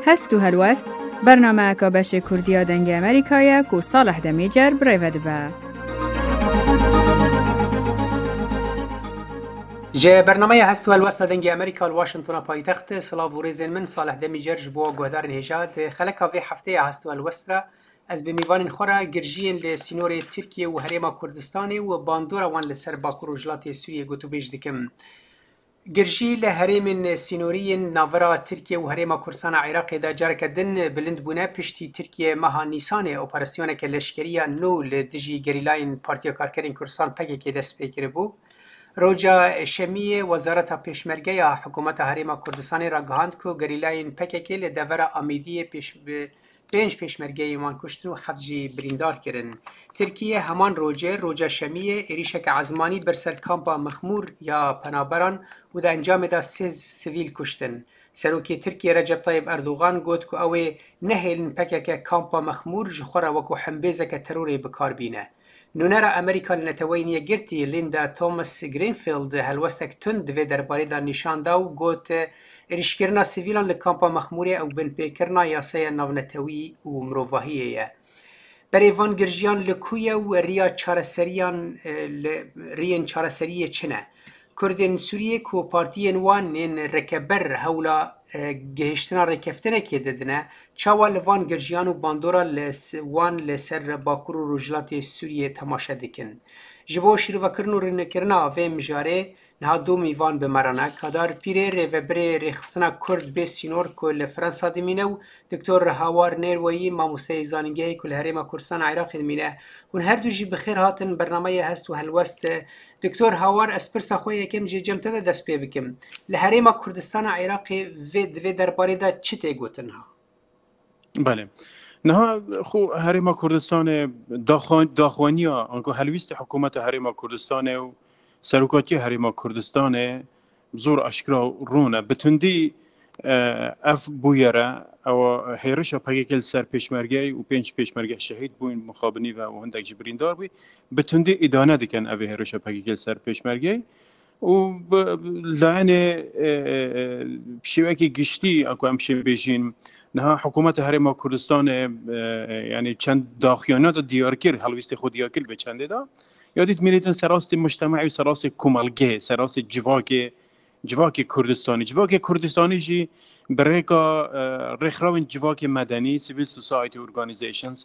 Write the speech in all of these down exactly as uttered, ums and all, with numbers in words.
Hest û helwest, bernameyeka beşê Kurdî ya Dengê Amerîka ye ku Salih Demîcer bi rê ve dibe. Ji bernameya Hest û Helwesta Dengê Amerîka li Washingtona paytext, silav û rêzên min, Salih Demîcer ji bo guhdarên hêja. Di xeleka vê hefteyê ya Hest û Helwest re ez bi mîvanên xwe re girjiyên li sînorê Tirkiye û Herêma Kurdistanê û bandora wan li ser Bakur û Rojhilatê Sûriyê gotûbêj dikim. Girjî li herêmên sînorî yên navbera Tirkiye û Herêma Kurdistana Iraqê de careke din bilind bûne piştî Tirkiye meha Nîsanê operasyoneke leşkerî ya nû li dijî gerîlayên Partiya Karkerên Kurdistan P K K dest pê kiribû. Roja Şemiyê Wezareta Pêşmerge ya Hikûmeta Herêma Kurdistanê ragihand ku gerîlayên P K K li devera Amêdiyê pêş bi pênc pêşmergeyên wan kuştin û heft jî birîndar kirin. Tirkiye heman rojê, roja Şemiyê, êrîşeke ezmanî bir ser kampa Mexmûr ya penaberan û di encamê de sê sivîl kuştin. Serokê Tirkiye Recep Tayyip Erdogan got ku ew ê nehêlin P K K kampa Mexmûr ji xwe re wekû hembêzeke terorê bi kar bîne. Nûnera Amerîka li Neteweyên Yekgirtî Linda Thomas Greenfield helwestek tund di vê derbarê de nîşan da û got, êrîşkirina sivîlan li kampa Mexmûrê ew binpêkirina yasaya navnetewî û mirovahiyê ye. Berê van girjiyan li ku ye û riya çareseriyan, e, li, riyên çareseriyê çi ne? Kurdên Sûriyê ku partiyên wan ên rêkeber hewla, e, gihiştina rêkeftinekê didine, çawa li van girjiyan û bandora li s-, wan li ser Bakur û Rojhilatê Sûriyê temaşe dikin? Ji bo şîrovekirin û rûnekirina vê mijarê niha du mîvan bi me re ne. Kadar Pîrê, rêvebirê Rêxistina Kurd Bê Sînor ku li Fransa dimîne û Doktor Hawar Nêrweyî, mamosteyê zanîngehê ku li Herêma Kurdistana Iraqê dimîne. Hûn her du jî bi xêr hatin bernameya Hest û Helwest. Doktor Hawar, ez pirsa xwe yekem jê cem te de dest pê bikim. Li Herêma Kurdistana Iraqê vê, di vê derbarê de çi tê gotin ha? Belê. Niha xwe Herêma Kurdistanê daxwa-, daxwaniya, anku helwîstê hikûmeta Herêma Kurdistanê û serokatiya Herêma Kurdistanê zor aşkira rûn e. Bi tundî, e, ev bûyere, ewa hêrişa P K K li ser pêşmergeyê û pênc pêşmerge şehîd bûn, mixabinî ve û hindek jî birîndar bû. Bi tundî îdane dikin ev hêrişa P K K li ser pêşmergeyê. Û bi, bi layenê, e, e, e, şêwekî giştî, ku em şê bêjîn, niha hikûmeta Herêma Kurdistanê, e, e, yanî çend daxuyaniya de diyar kir, helwîstê xwe diyar kir bi çendê de. Ya dît milîtin serastê mujtema'ê û serastê komelgê, serastê civakê, civakê Kurdistanî. Civakê Kurdistanî jî bi rêka, e, rêxrawên civakê medenî, civil society organizations,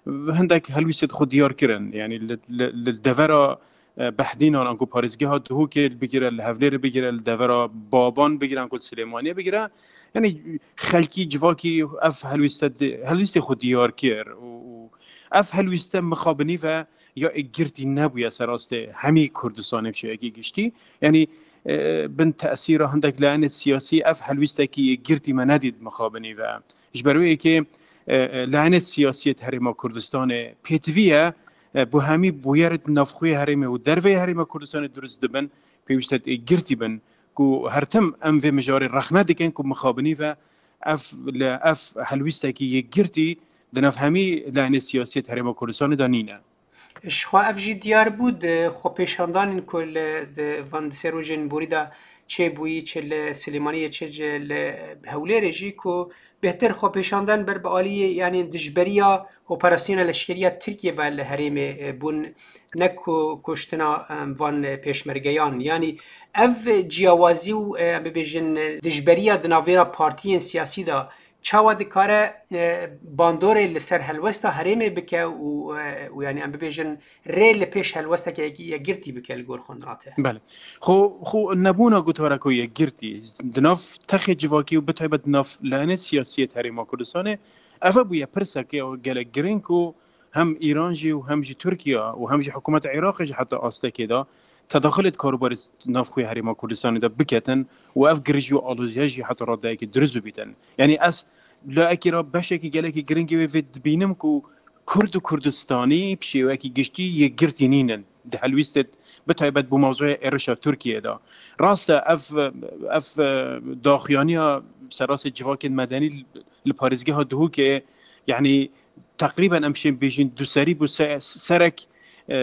hindek helwîstê xwe diyar kirin. Yanî li, li, li devera, e, Behdînan, anku parêzgeha Duhokê bigire, li Hevlêrê bigire, li devera Baban bigire, anku Silêmaniyê bigire. Yanî xelkî, civakî ev helwîste di-, helwîstê xwe diyar kir û, û ev helwîste mixabinî ve ya ê girtî nebûye serastê hemî Kurdistanê bi şêwekî giştî. Yanî, e, bin tesîra hindek layenê siyasî ev helwîstekî yê girtî me nedît mixabinî ve. Ji ber wê yekê, e, e, layenê siyasî yê Herêma Kurdistanê pêtivî ye, e, bo hemî bûyerê di navxweyê herêmê û derveyê Herêma Kurdistanê durust dibin, pêwîst e ê girtî bin ku her tim em vê mijarê rexne dikin ku mixabinî ve ev, li ev helwîstekî yê girtî di nav hemî layenê siyasî yê Herêma Kurdistanê de nîne. Ji xwe ev jî diyar bû di xwepêşandanên ku li, di van di sê rojên borî de çêbûyî, çi li Silêmaniyê, çi ji li Hewlêrê jî, ku bêhtir xwepêşandan ber bi aliyê, yanî dijberiya operasyona leşkerî ya Tirkiyê ve li herêmê, e, bûn, ne ku kuştina, em, van, e, pêşmergeyan. Yanî ev ciyawazî û, e, em bibêjin, e, dijberiya di navbera partiyên siyasî de çawa dikare, e, bandorê li ser helwesta herêmê bike û, e, û yanî em bibêjin rê li pêş helwesteke yek-, yekgirtî bike li gor xwe nirate? Belê. Xwe, xwe nebûna gotareke yekgirtî di nav texê civakî û bi taybet di nav layenê siyasî yê Herêma Kurdistanê, ev bûye pirseke gelek girîng ku hem Îran jî û hem jî Tirkiye û hem jî hikûmeta Iraqê jî heta astekê de tedaxilê di karûbarê navxweyê Herêma Kurdistanê de biketin û ev girîj û aloziya jî heta radeyekê dirust bibîtin. Yanî ez layekî re beşekî gelekî girîngî wê vê dibînim ku Kurd û Kurdistanî bi şêwekî giştî yekgirtî nînin di helwîstê, bi taybet bo mewzûya êrişa Tirkiyê de. Rast e, ev, ev, e, daxuyaniya serastê civakên medenî li parêzgeha Duhokê, yanî teqrîben em şên bêjin duserî bû, se-, serek, e,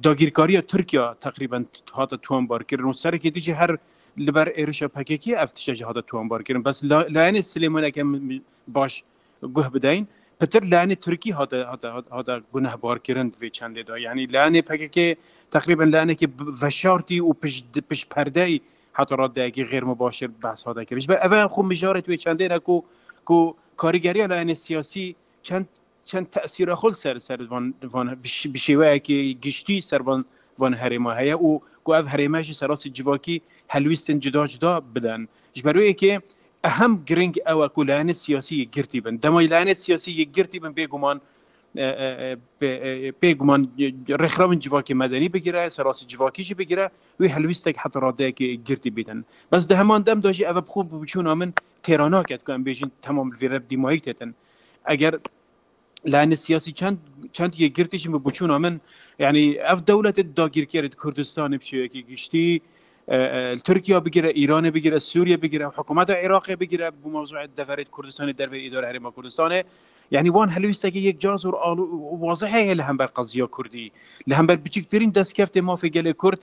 dagîrkariya Tirkiye teqrîben hate tomarkirin û serekê dijî her li ber êrişa P K K ev tişte jî hate towanbar kirin. Bes la-, layene Silêmaniyeke min, min baş guh bideyin, pitir layene Tirkî hate, hate, hate, hate gunehbar kirin di vê çendê de. Yanî layene P K K teqrîben layenekî bi-, veşartî û pişt, pişt perdeyî heta radeyekî xêr mubaşir behs hate kirin. Ji ber eve xwe mijarê wê çendê ne ku, ku karîgeriya layene siyasî çend, çend tesîra xwe li ser, ser van, van bi şê-, bi şêweyekî giştî ser van, van herêma heye û ku ev herême jî serasî civakî helwîstin cida cida bidin. Ji ber wê yekê ehem giring ew e ku layene siyasî yekgirtî bin. Dema layene siyasî yekgirtî bin, bêguman, e, e, e, bê-, e, bêguman, e, rêxrawên civakê medenî bigire, serasî civakî jî bigire, wê helwîstek heta radeyekê girtî bidin. Bes di heman dem de jî ev bi xwe bi biçûna min têra nake ku em bêjin temam li vê re dîmayî têtin. Eger layene siyasî çend, çend yekgirtî jî bi biçûna min, yanî ev dewletê dagîrkerê di Kurdistanê bi şêwekî giştî, e, e, li Tirkiye bigire, Îranê bigire, Sûriye bigire, hikûmeta Iraqê bigire, bi mewzuê deverê Kurdistanê derveyî îdare Herêma Kurdistanê. Yanî wan helwîstekî yekcar zor alu-, wazih heye li hember qeziya Kurdî. Li hember biçûktirîn destkeftê mafê gelê Kurd,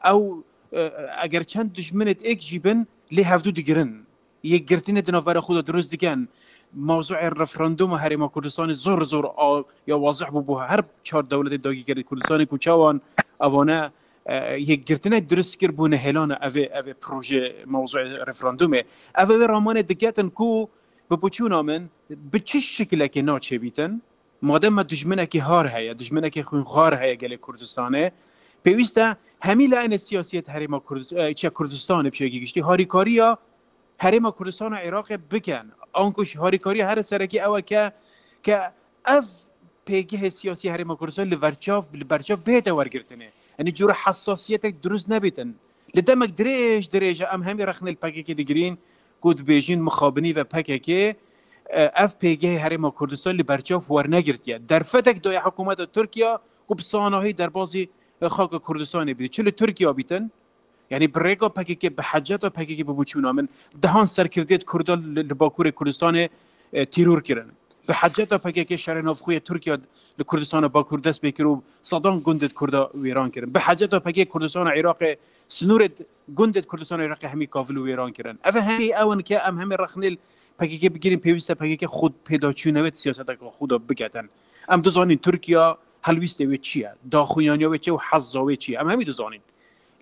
ew, e, eger çend dijminê êk jî bin, lê hevdû digirin. Yekgirtinê di navbera xwe de dirust dikin. Mewzuê referanduma Herêma Kurdistanê zor zor a, ya wazih bû bo her çar dewletê dagîrkerê Kurdistanê ku çawan evane, e, yekgirtinek dirust kir bû nehêlana evê, evê proje mewzuê referandumê. Ev ê ramanê diketin ku bi biçûna min bi çi şikilekê naçêbîtin. Madem me dijminekî har heye, dijminekî xwînxwar heye gelê Kurdistanê, pêwîst e hemî layene siyasiyet Herêma Kurdis-, e, çiya Kurdistanê bi şêwekî giştî harîkariya Herêma Kurdistana Iraqê bikin. Anku jî harîkariya here serekî ew e ke, ke ev pêgehê siyasî Herêma Kurdistan li verçav, li berçav bihête wergirtinê. Yanî cûre hesasiyetek dirust nebîtin. Li demek dirêj dirêj e em hemî rexnê li P K K digirîn ku dibêjin mixabinî ve P K K, e, ev pêgehê Herêma Kurdistan li berçav wernegirtiye. Derfetek daye hikûmeta Tirkiye ku bi sanahî derbazî, e, xaka Kurdistanê bî. Çi li Tirkiye bîtin, yanî bi rêka P K K, bi heceta P K K, bi biçûna min dehan serkirdiyet Kurda li, li Bakurê Kurdistanê, e, tîror kirin. Bi heceta P K K şerê navxwe yê Tirkiye li Kurdistana Bakur dest pê kir û sedan gundê Kurda wêran kirin. Bi heceta P K K Kurdistana Iraqê, sinûrê gundê Kurdistana Iraqê hemî kavil û wêran kirin. Ev hemî ew in ke em hemî rexnê li P K K bigirîn, pêwîst e P K K xwe pêdaçûnê wê di siyaseteke xwe de biketin. Em dizanîn Tirkiye helwîstê wê çi ye, daxuyaniya wê çi ye û hezza wê çi ye. Em hemî dizanîn.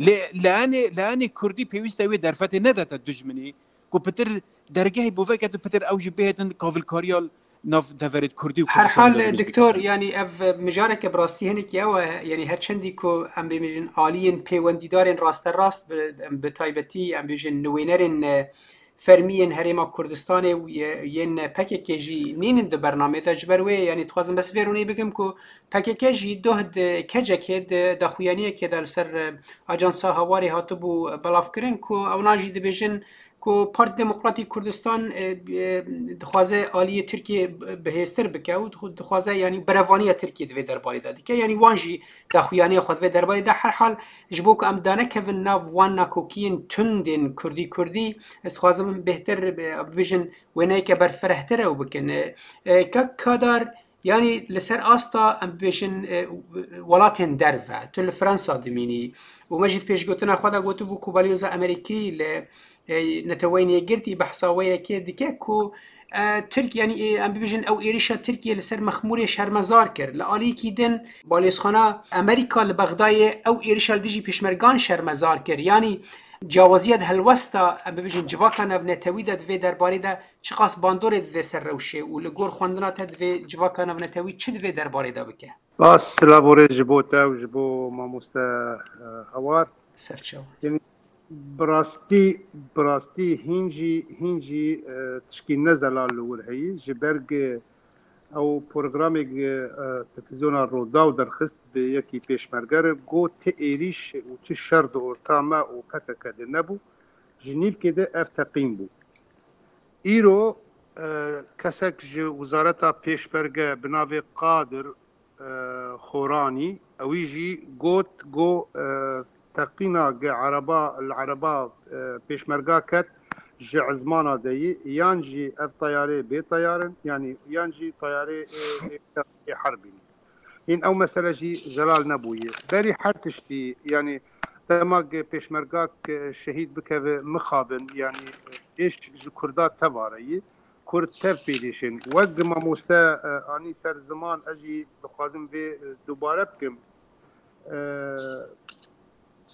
Lê leyanê, leyanê Kurdî pêwîst e wê derfetê nedete dijminî, ku pitir dergehê bo veket û pitir ew jî bihêtin kavilkariya nav deverê Kurdî û Her Kurdistanê hal, de bibîstin. Doktor, yanî ev mijareke bi rastî hinekî ew e, yanî her çendî ku em bêmînin aliyên pêwendîdarên rasterast bi, bi taybetî, em bêjin nivînerên, e, fermî yên Herêma Kurdistanê û ye-, yên P K K jî nînin di bernameyê de. Ji ber wê, yanî dixwazim bes vê rûnê bikim ku P K K jî doh di kecekê, di daxuyaniyekê de li ser, e, Ajansa Hawarê hatibû belavkirin ku ewna jî dibêjin ku Partî Demokratîk Kurdistan, e, e, dixwaze aliyê Tirkiyê bihêztir bike û dixu-, dixwaze, yanî berevaniya Tirkiyê di vê derbarê de dike. Yanî wan jî daxuyaniya xwe di vê derbarê de. Her hal ji bo ku em danekevin nav wan nakokiyên tundên Kurdî Kurdî, ez dixwazim bêhtir, e, bibêjin wêneyeke berfirehtir ew bikin. E, e, Kak Kadar, yanî li ser asta em bibêjin, e, welatên derve, tu li Fransa dimînî û me jî di pêşgotina xwe de gotibû ku balyoza Amerîkî li, e, Neteweyên Yekgirtî behsa wê yekê dike ku, e, Tirk-, yanî, e, em bibêjin ew êrişa Tirkiye li ser Mexmûrê şermezar kir. Li aliyekî din balyozxana Amerîka li Bexdayê ew êrişa li dijî pêşmergan şermezar kir. Yanî ciyawaziya di helwesta, em bibêjin civaka navnetewî de di vê derbarê de çiqas bandorê dide ser rewşê û li gor xwendina te divê civaka navnetewî çi di vê derbarê de bike? Spas, silav û rêz ji bo te û ji bo mamoste, e, Hawar. Serçawa. Yanî, bi rastî, bi rastî hîn jî, hîn jî, e, tişkî ne zelal li wir heyî. Ji ber ku ew programê, e, televîzyona Rûdaw derxist bi yekî pêşmerge re, got ti êrîş û ti şer di orta me û P K K de nebû. Ji nîvkê de ev teqîn bû. Îro, e, kesek ji Wizareta Pêşmerge bi navê Qadir, e, Xoranî, ewî jî got, got, e, teqîna ge ereba, li ereba, e, pêşmerga ket ji ezmana de yî, yan jî ev teyarê bê teyar in, yanî yan jî teyarê ê, ê, ê herbî ne. Hîn ew mesele jî zelal nebûye. Berî her tiştî, yanî Dema pêşmergak şehîd bikeve mixabin, yanî êş ji Kurda tev areyî, Kurd tev pêdêşin. Wek mamoste anî ser ziman, ez jî dixwazim vê dubare bikim.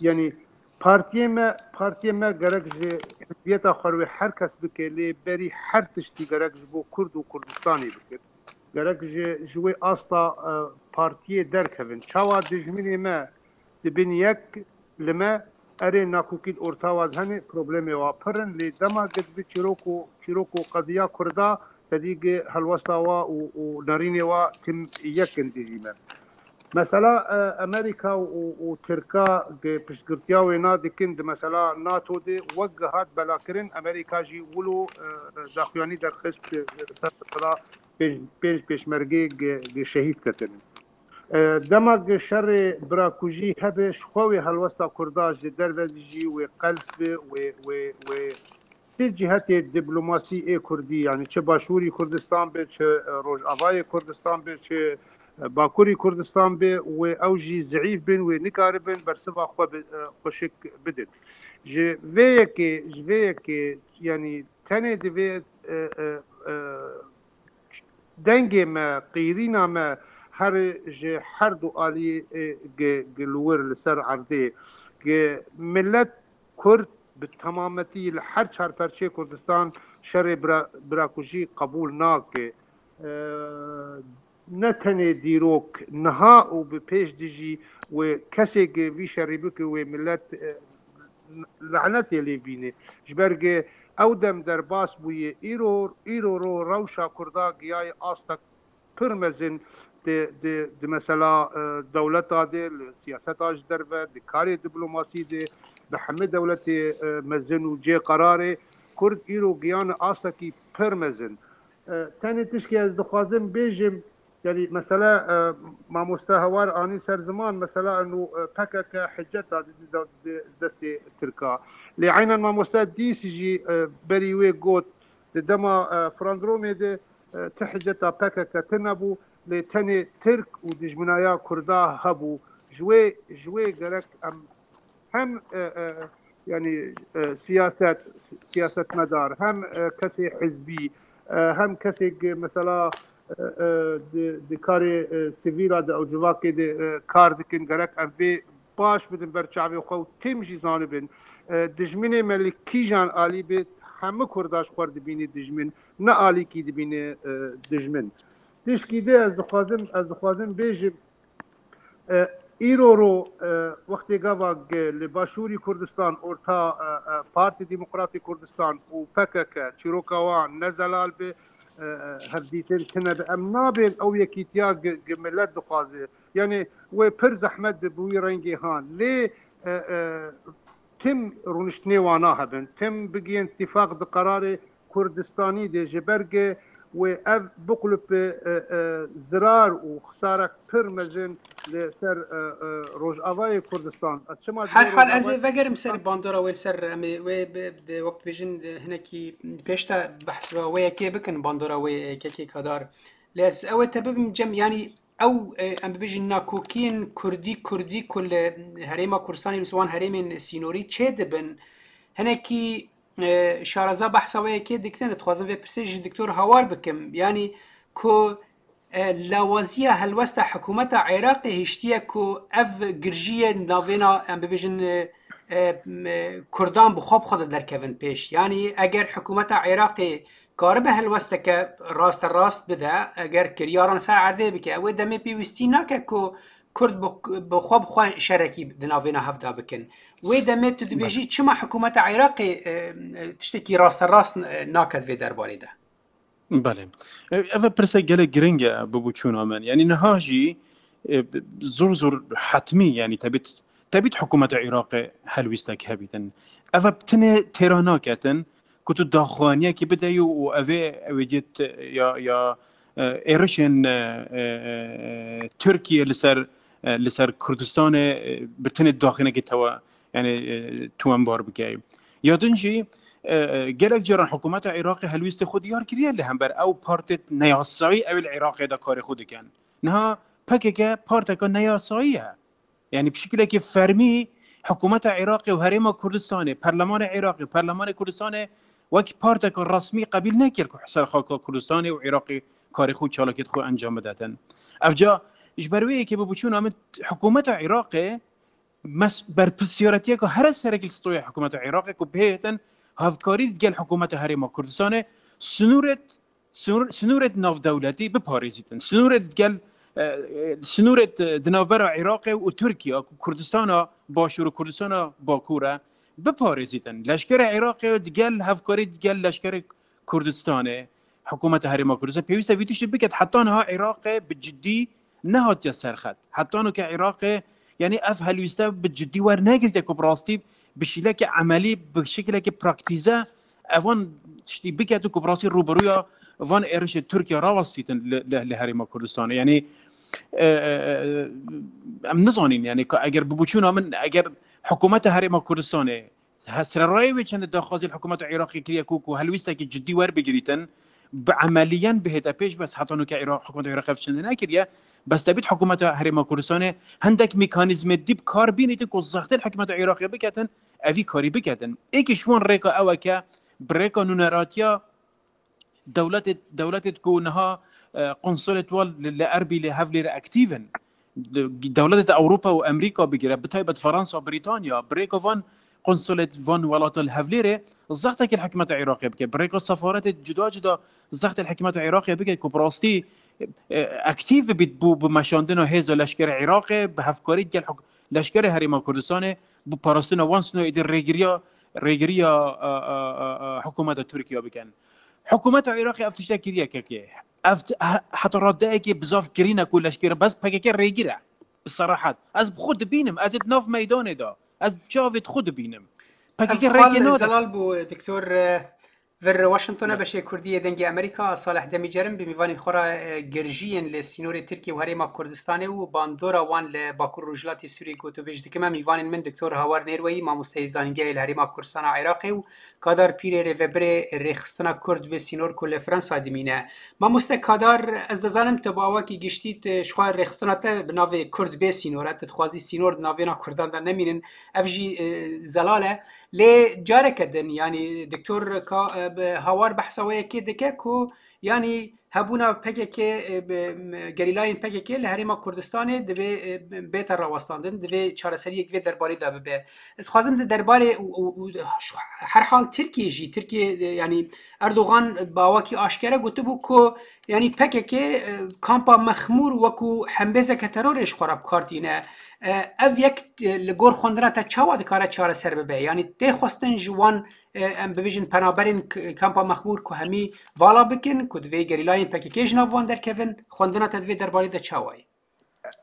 Yanî partiyê me, partiyê me gerek ji hizbiyeta xwe re her kes bike, lê berî her tiştî gerek ji bo Kurd û Kurdistanê bike. Gerek ji, ji wê asta partiyê derkevin. Çawa dijminê me dibin yek, li me erê nakokî li orta wa hene, problemê wa pir in, lê dema gidbi çîrok û, çîrok û qediya Kurda, tedî gi helwesta wa û, û nerînê wa tim yek in dijî me. Mesela Amerîka û, û Tirka gi piştgirtiya wê na dikin di mesela NATO de wek gi hat belakirin, Amerîka jî wilo daxuyanî derxist, ser mesela pênc, pênc pêşmergê gi, gi şehîd ketinin. Dema gi şerê birakujî hebe, ji xwe wê helwesta Kurda ji derve dijî wê qels bi, wê, wê, wê çi cihetê diplomasî ê Kurdî, yanî çi Başûrî Kurdistan be, çi Rojavayê Kurdistan be, çi Bakurî Kurdistan be, wê ew jî zeîf bin, wê nikaribin bersiva xwe bi, xweşik bidin. Ji vê yekê, ji vê yekê, yanî tenê divê dengê me, qîrîna me here ji her du alî gi, gi li wir li ser erdê, gi milet Kurd bi temametî li her çar perçeyê Kurdistan şerê bira, birakujî qebûl nake. Ne tenê dîrok, niha û bi pêş dijî wê kesê gi vî şerî bike wê milet lanetê lê bîne. Ji ber gi ew dem derbas bûye, îro, îro ro rewşa Kurda giyaye astek pir mezin di, di, di mesela dewleta de, li siyaseta ji derve, di karê diplomasî de, bi hemî dewletê mezin û cê qerarê, Kurd îro giyane astekî pir mezin. Tenê tişkî ez dixwazim bêjim, yanî mesela mamoste Hawar anî ser ziman, mesela eno P K K hiceta di, di, di destê Tirka. Lê eynen mamoste dîs jî berî wê got, di dema Frandromê de ti hiceta P K K tine bû, lê tenê Tirk û dijminaya Kurda hebû. Ji wê, ji wê gerek em hem, e, e, yanî, e, siyaset, siyasetmedar, hem, e, kesê hizbî, e, hem kesê ki mesela, e, e, di, di karê, e, sivîla de ew civakê de, e, kar dikin, gerek em vê baş bidin ber çavê xwe û tim jî zanibin. E, dijminê me li kîjan alî bê, hemû Kurda ji xwe dibîne dijmin, ne alîkî dibîne, e, dijmin. Tişkî de ez dixwazim, ez dixwazim bêjim, E, îro ro, e, wextê gava gi li Başûrî Kurdistan orta, e, e, Partî Demokratî Kurdistan û P K K çîroka wan ne zelal bi, e, e, hevdîtin tine bi, em nabên ew yekîtiya gi, gi milet dixwaze. Yanî wê pir zehmet bi bi wî rengê han. Lê, e, e, tim rûniştinê wana hebin, tim bigihên tîfaq di qerarê Kurdistanî de, ji ber ge wê ev biqulip bi, e, e, zirar û xisarek pir mezin li ser, e, e, Rojavayê Kurdistan. Ez çima Her dibêjim hal ez ê vegerim ser bandora wê, li ser em ê wê bi, bi, wek dibêjin, e, hinekî pêş de behs ve wê yekê bikin, bandora wê, e, kekê Kadar. Lê ez ew ê te bibim cem, yanî ew, e, em bibêjin nakokiyên Kurdî, Kurdî ku li Herêma Kurdistanê, li wan herêmên sînorî çê dibin, hinekî, e, şaraza behsa wê yekê dikin, dixwazim vê pirsê ji Doktor Hawar bikim. Yanî ku, e, lawaziya helwesta hikûmeta Iraqê hiştiye ku ev girjiyê navêna, em bibêjin, e, e, m-, Kurdan bi xwe bi xwe de derkevin pêş. Yanî eger hikûmeta Iraqê karibe helwesteke raste rast bide, eger kiryaran ser erdê bike, wê demê pêwîstî nake ku Kurd bi, bi xwe bi xwe şerekî di navêna hevda bikin. Wê demê tu dibêjî, Belê. Çima hikûmeta Iraqê, e, e, tiştekî raste rast, e, nake di vê derbarê de? Belê. E, ev pirse gelek giring e, bibûçûna min. Yanî niha jî, e, zor zor hetmî, yanî tebît, tebît hikûmeta Iraqê helwîstek hebîtin. Ev tenê têra naketin, ku tu daxuyaniyekî bideyî û ev ê, ew ê cî t-, ya, ya, e, êrişên, e, e, e, Tirkiye li ser, e, li ser Kurdistanê, e, bi tenê daxuyanekî tewa, yanî, e, tuwenbar bikeyî. Ya din jî, e, e, gelek caran hikûmeta Iraqê helwîstê xwe diyar kiriye, li hember ew partê neyasayî ew li Iraqê de karê xwe dikin. Niha P K K parteka neyasayî ye. Yanî bi şekilekî fermî Hikûmeta Iraqê û Herêma Kurdistanê, Perlemanê Iraqê, Perlemanê Kurdistanê wek parteka resmî qebîl nekir ku ser xaka Kurdistanê û Iraqê karê xwe û çalakiyet xwe encam bidetin. Evca ji ber wê yekê bi biçûna min hikûmeta Iraqê mes-, berpirsiyaretiya ku here serek li stoya hikûmeta Iraqê ku bihêtin hevkarî digel hikûmeta Herêma Kurdistanê sinûret, sinûr-, sinûret navdewletî biparêzîtin. Sinûret digel, e, e, sinûret, e, di navbera Iraqê û Tirkiye ku Kurdistana Başûr û Kurdistana Bakur e biparêzîtin. Leşkerê Iraqê digel hevkarî digel leşkerê Kurdistanê, hikûmeta Herêma Kurdistan pêwîst e vî tiştî biket. Heta niha Iraqê bi cidî nehatiye serxet. Heta nuke Iraqê, yanî ev helwîste bi cidî wernegirtiye ku bi rastî bi şîleke emelî, bi şekileke praktîze evan tiştî biket û ku bi rastî rûberûya van êrişê Tirkiye rawestîtin li, li, li Herêma Kurdistanê. Yanî, e, e, e, em nizanîn, yanî ka eger bi biçûna min, eger hikûmeta Herêma Kurdistanê, he, sererayê wê çendê daxwazî li hikûmeta Iraqê kiriye ku, ku helwîstekî cidî werbigirîtin, bi emeliyen bihête pêş, bes heta nuke Iraq, hikûmeta Iraqê ev çendê nekiriye, bes debît hikûmeta Herêma Kurdistanê hindek mekanîzmê dî bi kar bînîtin ku zextê li hikûmeta Iraqê biketin, evî karî biketin. Êkî ji wan rêka ew e ke bi rêka nûneratiya dewletê, dewletê ku niha, e, konsolê wan li, li Erbîlê, Hevlêrê aktîv in. De-, dewletê Ewropa û Amerîka bigire, bi taybet Fransa, Brîtanya, bi rêka van konsolê van welata li Hevlêrê zextekê li hikûmeta Iraqê bike. Bi rêka sefaretê cuda cuda zextê li hikûmeta Iraqê bike ku bi rastî, e, aktîv bibît bo, bi meşandina hêza leşkerê Iraqê, bi hevkarî gel huk-, leşkerê Herêma Kurdistanê, bi parastina wan sino êdî rêgiriya, rêgiriya, e, e, e, e, hikûmeta Tirkiye bikin. Hikûmeta Iraqê ev tiştek kiriye kekê. Ev t-, he-, heta radeyekê bizaf girîn e ku leşkere bes P K K rêgir e. Bi serahet. Ez bi xwe dibînim. Ez ê di nav meydanê de. Ez bi çavê xwe dibînim. P K K rêkê nade. Zelal bû, Doktor, e, vir Washingtonê beşê Kurdî yê Dengê Amerîka, Salih Demîcerim, bi mîvanên xwe re, e, girjiyên li sînorê Tirkiye û Herêma Kurdistanê û bandora wan li Bakur Rojhilatê Sûriyê gotûbêj dikim. Em mîvanên min Doktor Hawar Nêrweyî, mamosteyê zanîngehê li Herêma Kurdistana Iraqê û Kadar Pîrê rêvebirê rêxistina Kurd bê sînor ku li Fransa dimîne. Mamoste Kadar, ez dizanim tu bi awakî giştî tu ji xwe rêxistina te bi navê Kurd bê sînor e, tu dixwazî sînor di navêna Kurdan de nemînin. Ev jî, e, zelal e. Lê careke din, yanî Doktor Ka-, e, bi Hawar behsa wê yekê dike ku, yanî hebûna P K K, e, bi, m-, gerîlayên P K K li Herêma Kurdistanê divê, e, bête rawestandin, divê çareseriyek vê derbarê de bibe. Ez dixwazim di derbarê û, û, û her hal Tirkiye jî, Tirkiye, e, yanî Erdogan bi awakî aşkere gotibû ku, yanî P K K, e, kampa Mexmûr wekû hembêzeke terorê ji xwe re bi kar tîne. E, ev yek, e, li gor xwendina te çawa dikare çareser bibe? Yanî tê xwestin ji wan, e, em bibêjin penaberên k-, kampa Mexmûr ku hemî vala bikin, ku divê gerîlayên P K K ji nav wan derkevin, xwendina te di vê derbarê de çawa ye?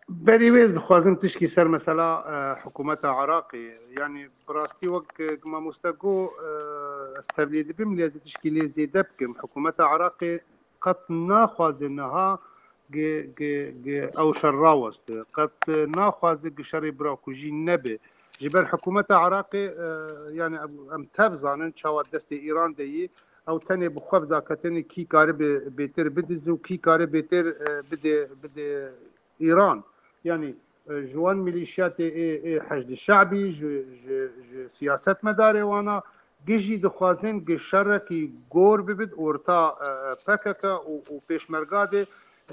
Berî wê ez dixwazim tişkî ser mesela, e, hikûmeta Iraqê, yanî bi rastî wek, e, mamoste got, e, ez tevlî dibim, lê ez ê tişkî lê zêde bikim. Hikûmeta Iraqê qet naxwaze niha gi, gi, gi ew şer raweste. Qet naxwaze gi şerê birakujî nebe. Ji ber hikûmeta Iraqê, e, yanî em, em tev zanin çawa destê Îran de yî, ew tenê bi xwe bi daketinê kî karibe bêtir bidize û kî kare bêtir, e, bide, bide Îran. Yanî, e, ji wan milîşyatê ê, ê Heşdî Şe'bî, ji, ji, ji siyasetmedarê wana, gi jî dixwazin gi şerekî gor bibit orta, e, e, P K K û, û pêşmerga de,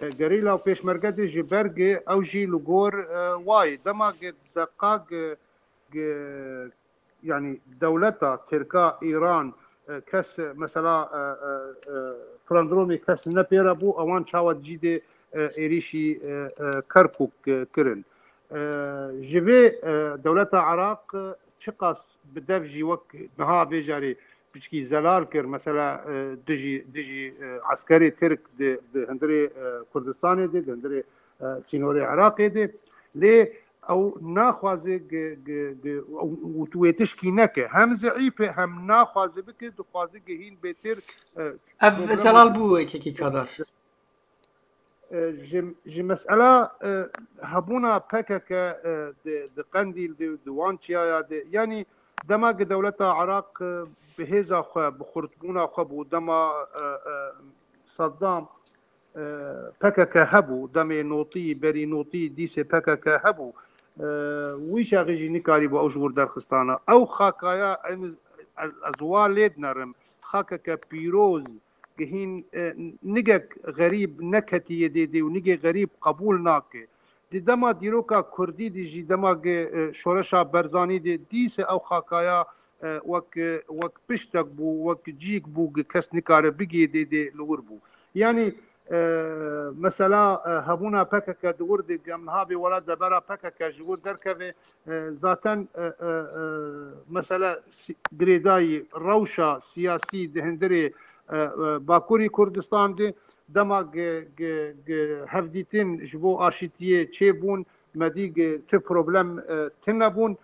e, gerîla û pêşmerge de ji ber gi ew jî li gor, e, wayê. Dema gi deqa gi, gi, yanî dewleta Tirka, Îran, e, kes, e, mesela, e, e, e, Trendromê kes ne pê re bû, ewan çawa cî dê, e, êrîşî, e, e, Kerkûk, e, kirin. E, ji vê, e, dewleta Iraq, e, çiqas bi dev jî wek niha vê carê piçkî zelal kir, mesela, e, dijî, dijî, e, eskerê Tirk di, di hundirê, e, Kurdistanê de, di hundirê, e, sînorê Iraqê de. Lê ew naxwaze gi, gi, gi, û, û tu wê tişkî neke. Hem zeîf e, hem naxwaze bike, dixwaze gi hîn bêtir, e, Ev problem zelal bû, kekî Kadar. E, ji, ji mesela, e, hebûna P K K, e, di, di Qendîl de, di wan çiyaya de, yanî dema ki dewleta Iraq, e, bi hêza xwe, bi xurtbûna xwe bû, dema, e, e, Saddam, e, P K K hebû, demê notî, berî notî, dîsê P K K hebû. E, wî çaxî jî nikarîbû ew ji wir derxistana. Ew xakaya em, ez, ez wa lê dinerim. Xakeke pîroz, gihîn, e, nigek xerîb neketiye dê dê û nigê xerîb qebûl nake. Di dema dîroka kurdî de jî, dema ge, e, şoreşa Berzanî de dîse ew xakaya, e, wek, e, wek piştek bû, wek cîk bû, ge kes nikare bigê dê dê li wir bû. Yanî, e, mesela, e, hebûna P K K di wir de, gem niha bê wela debera P K K ji wir derkeve, e, zaten, e, e, e, mesela si-, girêdayî rewşa siyasî di hundirê, e, e, Bakurî Kurdistan de, dema ge, ge, ge hevdîtin ji bo aşîtiyê çêbûn, me dî ge ti problem, e, tune bûn.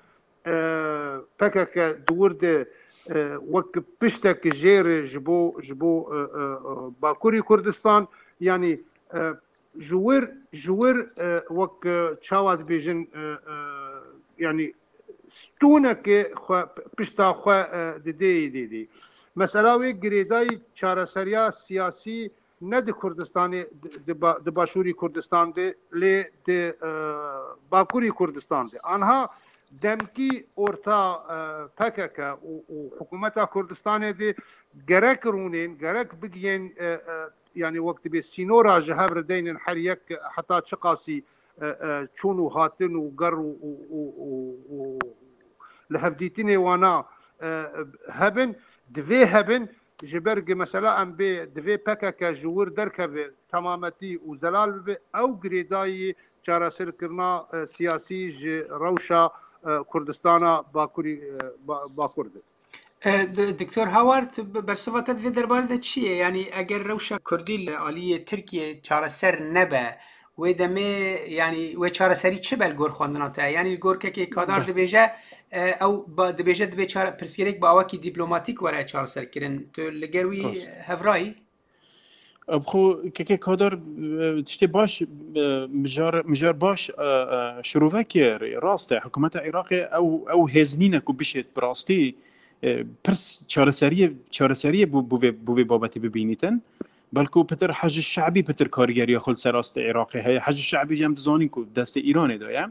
E, P K K di wir de, e, wek piştek jêr e ji bo, ji bo, e, e, e, Bakurî Kurdistan, yanî, e, ji wir, ji wir, e, wek, e, çawa dibêjin, e, e, yanî stûneke xwe, pişta xwe, e, didê, didê. Mesela wê girêdayî çareseriya siyasî ne di Kurdistanê, di, di ba-, di Başûrî Kurdistan de, lê di, e, Bakurî Kurdistan de. Anha demkî orta, e, P K K û, û hikûmeta Kurdistanê de gerek rûnên, gerek bigiyên, e, e, yanî wek dibê sînora ji hev re deynin her yek heta çiqasî, e, e, çûn û hatin û ger û, û, û, û, û li hevdîtinê wana, e, hebin, divê hebin, ji ber gi mesela em bê divê P K K ji wir derkeve temametî û zelal bibe, ew girêdayî çareserkirina, e, siyasî ji rewşa, e, Kurdistana Bakurî, e, Ba-, Bakur de. E, d-, Doktor Haward, b-, bersiva te di vê derbarê de çi ye? Yanî eger rewşa Kurdî li aliyê Tirkiyê çareser nebe, wê demê, yanî wê çareserî çi be li gor xwendina te? Yanî li gor kekê Kadar Bes. dibêje, e, ew ba-, dibêje dibê çare-, pirsgirêk bi awakî dîplomatîk were çareserkirin. Tu li gel wî Rast. hevrayî? Ev xwe kekê Kadar, e, tiştê baş, e, mijar, mijar baş, e, e, şirove kir. Rast e, hikûmeta Iraqê ew, ew hêz nîne ku bişêt bi rastî, e, pirs çareseriyê, çareseriyê bû, bû vê, bû vê babetê bibînîtin. Belku pitir Hej Şe'bî pitir karîgeriya xwe li ser astê Iraqê heye. Hej Şe'bî jî em dizanîn ku destê Îranê de ye.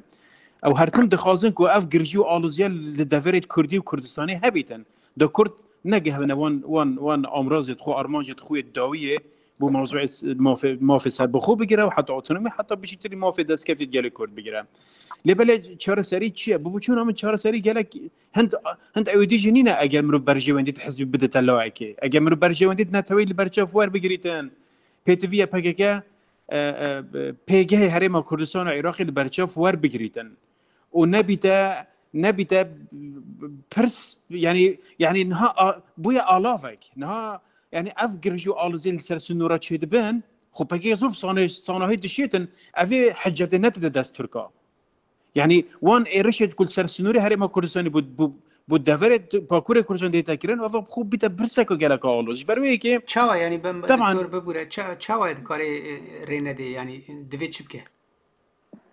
Ew her tim dixwazin ku ev girjî û aloziya li deverê Kurdî û Kurdistanê hebîtin. Da Kurd negihebine wan, wan, wan amrazê xwe, armancê xwe yê dawiyê bo mewzûê s-, mafê, mafê serbixwe bigire û heta otonomî, heta bişîtirî mafê destkeftê gelê Kurd bigire. Lê belê çareserî çi ye? Bi biçûna min çareserî gelek hind, hind ewêdî jî nîne eger mirov berjewendî di hizbî bidite lawekê. Eger mirov berjewendî di neteweyî li berçav werbigirîtin, pêtivî ye P K K, e, e, pêgehê Herêma Kurdistan û Iraqê li berçav werbigirîtin. Û nebîte, nebîte pirs, yanî, yanî niha a-, bûye alavek. Niha, yanî ev girjî û alizê li ser sinûra çêdibin, xwe P K K zor bi sanê-, sanahî dişêtin, evê hicetê nedide dest Tirka. Yanî wan êrişê ku li ser sinûrê Herêma Kurdistanê bû, bû, bû deverê t-, Bakurê Kurdistanê dête kirin, û ev xwe bîte pirseka geleka aloz. Ji ber wê yekê Çawa, yanî, ben Teban. doktor bibûre, ça-, çawa dikare, e, rê nedê, yanî divê çi bike?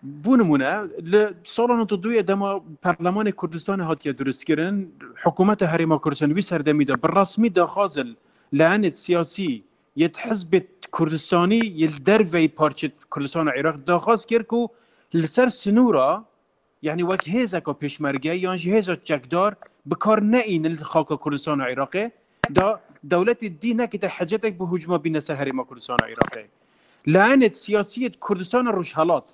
Bo nimûne, li sala nod û duyê dema Perlemanê Kurdistanê hatiye dirustkirin, hikûmeta Herêma Kurdistanê wî serdemî de bi resmî daxwaz li layenê siyasî yê hizbê Kurdistanî yê li derveyî parçê Kurdistan û Iraq daxwaz kir ku li ser sinûra, yanî wek hêzeka pêşmerge yan jî hêza çekdar bi kar neînin li xaka Kurdistan û Iraqê, da dewletê dî nekite hecetek bi hûcma bîne ser Herêma Kurdistan û Iraqê. Layenê siyasî yê Kurdistana Rojhelat,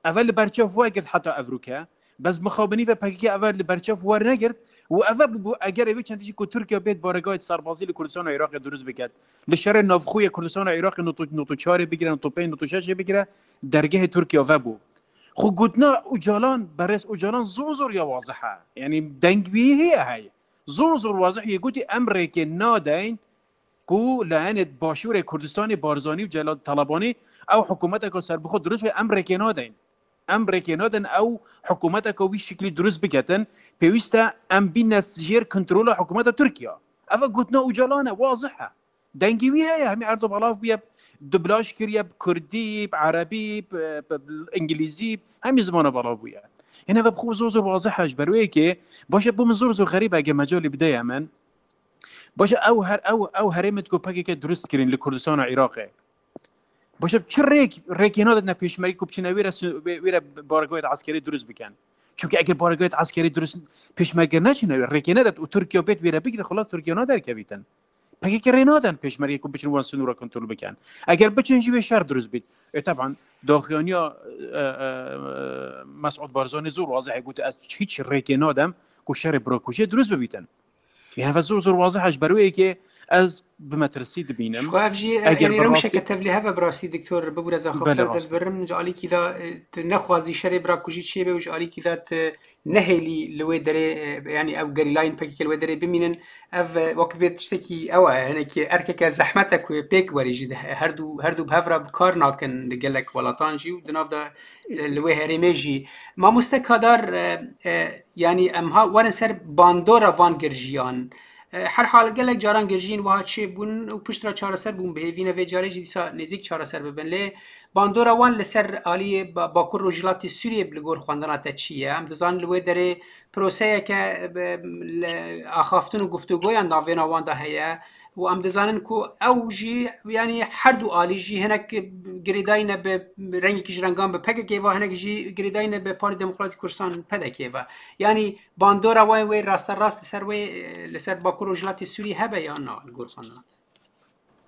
eve li berçav wergirt heta evroke, bes mixabinî ve P K K eve li berçav wernegirt û eve bû, bû egerê wê çendî jî ku Tirkiye bêt baregahê serbazî li Kurdistana Iraqê dirust biket. Li şerê navxwe yê Kurdistana Iraqê nod û, nod û çarê bigire, nod û pênc, nod û şeşê bigire, dergehê Tirkiye ve bû. Xwe gotina Ocalan, berêz Ocalan zor zor ya wazih e. Yanî deng wî heye heye. Zor zor wazih yê gotî em rêkê nadeyn ku layenê Başûrê Kurdistanê Barzanî û Celal Talebanî ew hikûmeteka serbixwe dirust be, em rêkê nadeyn. Em rêkê nadin ew hikûmeteka wî şiklî dirust biketin, pêwîst e em bîne jêr kontrola hikûmeta Tirkiye. Ev e gotina Ocalan e, wazih e. Dengê wî heye, hemî erdo belav bûye, dublaj kiriye bi kurdî, bi erebî, bi, bi, bi îngilîzî, hemî zimana belav bûye. Hene ve bi xwe zor zor wazih e ji ber wê yekê, baş e bo min zor zor xerîb e, eger mecalê bideye min. Baş e ew her, ew, ew herêmê ku P K K dirust kirin li Kurdistan û Iraqê. Başa çi rêk, rêkê nadet ne pêşmerge ku biçine wê re, wê re baregahê eskerî dirust bikin. Çunke eger baregahê eskerî dirust pêşmerge neçine wê, rêkê nedet û Tirkiye bêt wê re bigire, xelas Tirkiye naderkevîtin. P K K rê naden pêşmerge ku biçin wan sinûra kontrol bikin. Eger biçin jî wê şer dirust bît. E, teban, daxuyaniya, e, e, Mesûd Barzanî zor wazih e, gote, ez hiç rêkê nadem ku şerê birakujê dirust bibîtin. Yani, ve zor zor wazih e, ji ber wê yekê ez bi metirsî dibînim. Ji xwe ev jî, e, Eger yani, bi rewşeke rastî tevlîhev e bi rastî, Doktor, bibûre zaxafta Belê, dest rastî. birim, ji alîkî de, e, tu nexwazî şerê birakujî çêbe û ji alîkî de tu nehêlî li wê derê, e, yani ew gerîlayên P K K li wê derê bimînin. Ev, e, wek bê tiştekî ew e, hinekî erkeke zehmet e ku pêk werî jî de her du, her du bi hev re bi kar nakin li gelek welatan jî û di nav de, e, li wê herêmê jî. Mamoste Kadar, e, e, yani em ha werin ser bandora van girjiyan. E, her hal gelek caran girjiyên wiha çêbûn û pişt re çareser bûn bi hêvî ne vê carê jî dîsa nêzîk çareser bibin. Lê bandora wan li ser aliyê ba-, Bakur Rojhilatê Sûriyê li gor xwendina te çi ye? Em dizanin li wê derê proseyeke, e, li axaftin û guftûgoyan navêna wan de heye û em dizanin ku ew jî, yanî her du alî jî hinek girêdayî ne bi rengekî ji rengan bi P K K ve, hinek jî girêdayî ne bi Partî Demokratîk Kurdistan, P D K ve. Yanî bandora wê, wê rasterast li ser wê, e, li ser Bakur Rojhilatê Sûriyê hebe yan na li gor xwendina te?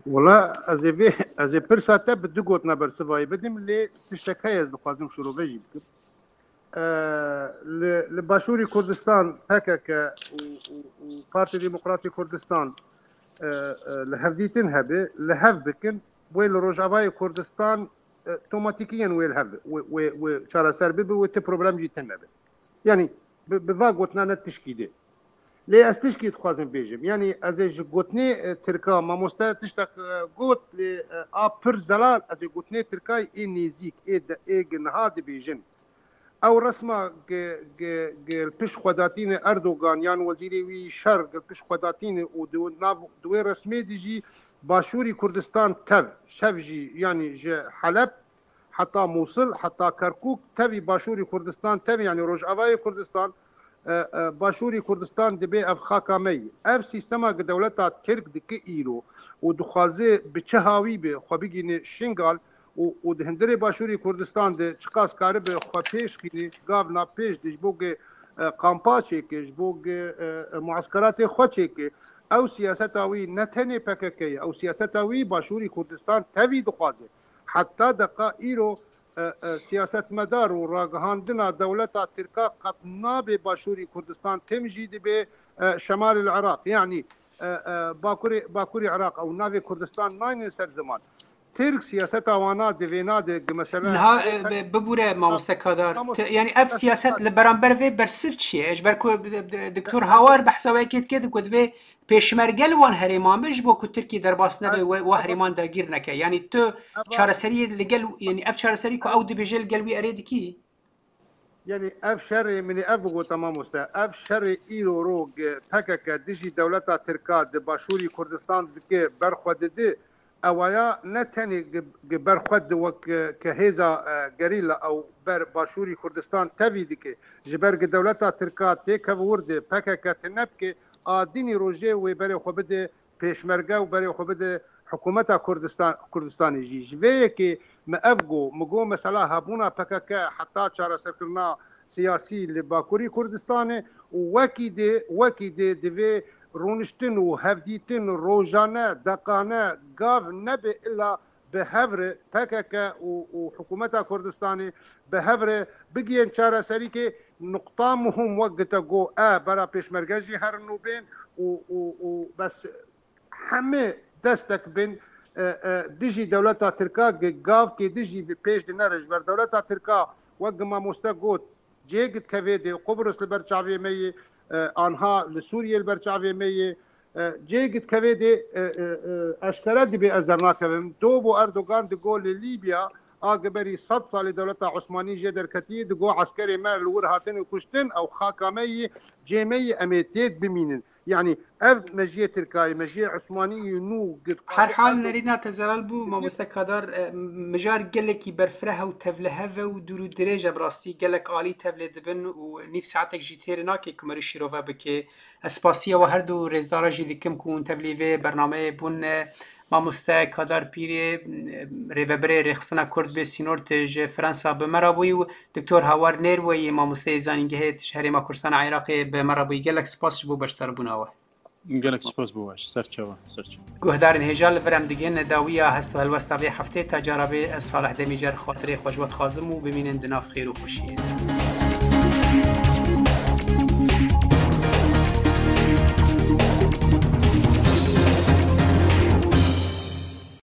Wala ez ê vê, ez ê pirsa te bi du gotina bersivayî bidim, lê tiştek heye ez dixwazim şirove jî bikim. E, li, li Başûrî Kurdistan P K K û, û, û Partî Demokratî Kurdistan, e, e, li hevdîtin hebe, li hev bikin, wê li Rojavayê Kurdistan, e, tomatîkiyen wê li hev bi, wê, wê, wê çareser bibe, wê ti problem jî tune be. Yanî bi, bi va gotina ne tişkî dê. Lê ez tişkî dixwazim bêjim. Yanî ez ê ji gotinê, e, Tirka mamoste tiştek, e, got, lê, e, a pir zelal, ez ê gotinê Tirkayê ê nêzîk, ê de, ê gi niha dibêjin. Ew resma gi, gi, gi pişt xwedatîne Erdogan yan wezîrê wî şer gi pişt xwedatîne û di nav, di wê resmê de jî Başûrî Kurdistan tev, şev jî, yanî ji Heleb heta Mûsil, heta Kerkûk, tevî Başûrî Kurdistan, tevî, yanî Rojavayê Kurdistan, e, e, Başûrî Kurdistan dibe ev xaka me yî. Ev sîstema ki dewleta Tirk dike îro û dixwaze bi çi hawî be xwe bigîne Şingal û, û di hundirê Başûrî Kurdistan de çiqas karibe xwe pêş xîne, gav na pêş de ji bo ki, e, kampa çêke, ji bo ki, e, e, mueskeratê xwe çêke. Ew siyaseta wî ne tenê P K K ye, ew siyaseta wî Başûrî Kurdistan tevî dixwaze. Heta deqa îro, e, e, siyasetmedar û ragihandina dewleta Tirka qet nabe Başûrî Kurdistan, tim jî dibe, e, Şemalil Iraq. Yanî, e, e, Bakurê, Bakurê Iraq ew navê Kurdistan naynin ser ziman. Tirk siyaseta wana di vêna de gi mesele Niha, e, bi-, bibûre mamoste Kadar. Mamoste Te-, yani ev siyaset li beramber vê bersiv çi ye? Ji ber ku d-, d-, Doktor Hawar behsa wê yekê dike, ku divê pêşmerge li wan herêman be ji bo ku Tirkiye derbas nebe, we, we herêman dagîr neke. Yani tu çareseriyê li gel, yani ev çareserî ku ew dibêje li gel wî erê dikî? Yani ev şerê, min ê ev bigot, mamoste, ev şerê îro ro gi P K K dijî dewleta Tirka di Başûrî Kurdistan dike, berxwe didi, ewaya ne tenê gi, gi berxwe di wek, e, ke hêza, e, gerîla ew ber Başûrî Kurdistan tevî dike. Ji ber gi dewleta Tirka têkeve wir de P K K tune bike, a dinî rojê wê berê xwe bide pêşmerge û berê xwe bide hikûmeta Kurdistan, Kurdistanê jî. Ji vê yekê me ev got, me got mesela hebûna P K K heta çareserkirina siyasî li Bakurî Kurdistanê û wekî dê, wekî dê divê rûniştin û hevdîtin rojane, deqane, gav nebe illa bi hev re P K K û, û hikûmeta Kurdistanê bi hev re bigihên çareserîkê. Nuqta muhim wek gite got, e, bera pêşmerge jî herin û bên û, û, û bes hemî destek bin, e, e, dijî dewleta Tirka gi gav kê dijî bi pêş dinere. Ji ber dewleta Tirka wek gi mamoste got, cê gitkevê dê, Qubrus li ber çavê me yê, e, anha li Sûriyê li ber çavê me yê, e, cê gitkevê dê, e, e, e, eşkere dibê ez dernakevim. Do bo Erdogan digo li Lîbya, a giberî sed salê dewleta Osmanî jê derketiyê, digo eskerê me li wir hatin û kuştin, ew xaka me yî, cê me yî, em ê têd bimînin. Yanî ev mejiyê Tirkayê, mejiyê Osmanî yê nû gid Her hal nerîna te zelal bû, mamoste Kadar, e, mijar gelekî berfireh û tevlihev e û dûr û dirêj e bi rastî. Gelek alî tevlê dibin û nîv saetek jî têrê nake ku merî şîrove bike. Ez spasiya we her du rêzdara jî dikim ku hûn tevlî vê bernameyê bûn, e, Mamoste Kadar Pîrê, rêvebirê Rêxistina Kurd bi Sînort ji Fransa bi me re bûyî û Doktor Hawar Nêrweyî, mamosteyê zanîngehê tij Herêma Kurdistana Iraqê bi me re bûyî. Gelek spas ji bo beşdarbûna we. Gelek spas bo we. Serçawa, serçawa. Guhdarên hêja, li vir em digihîn dawiya hest û helwesta vê heftê. Ta cara bê, ez Salih Demîcer xatirê xwe ji we dixwazim û bimînin di nav xêr û xweşiyê.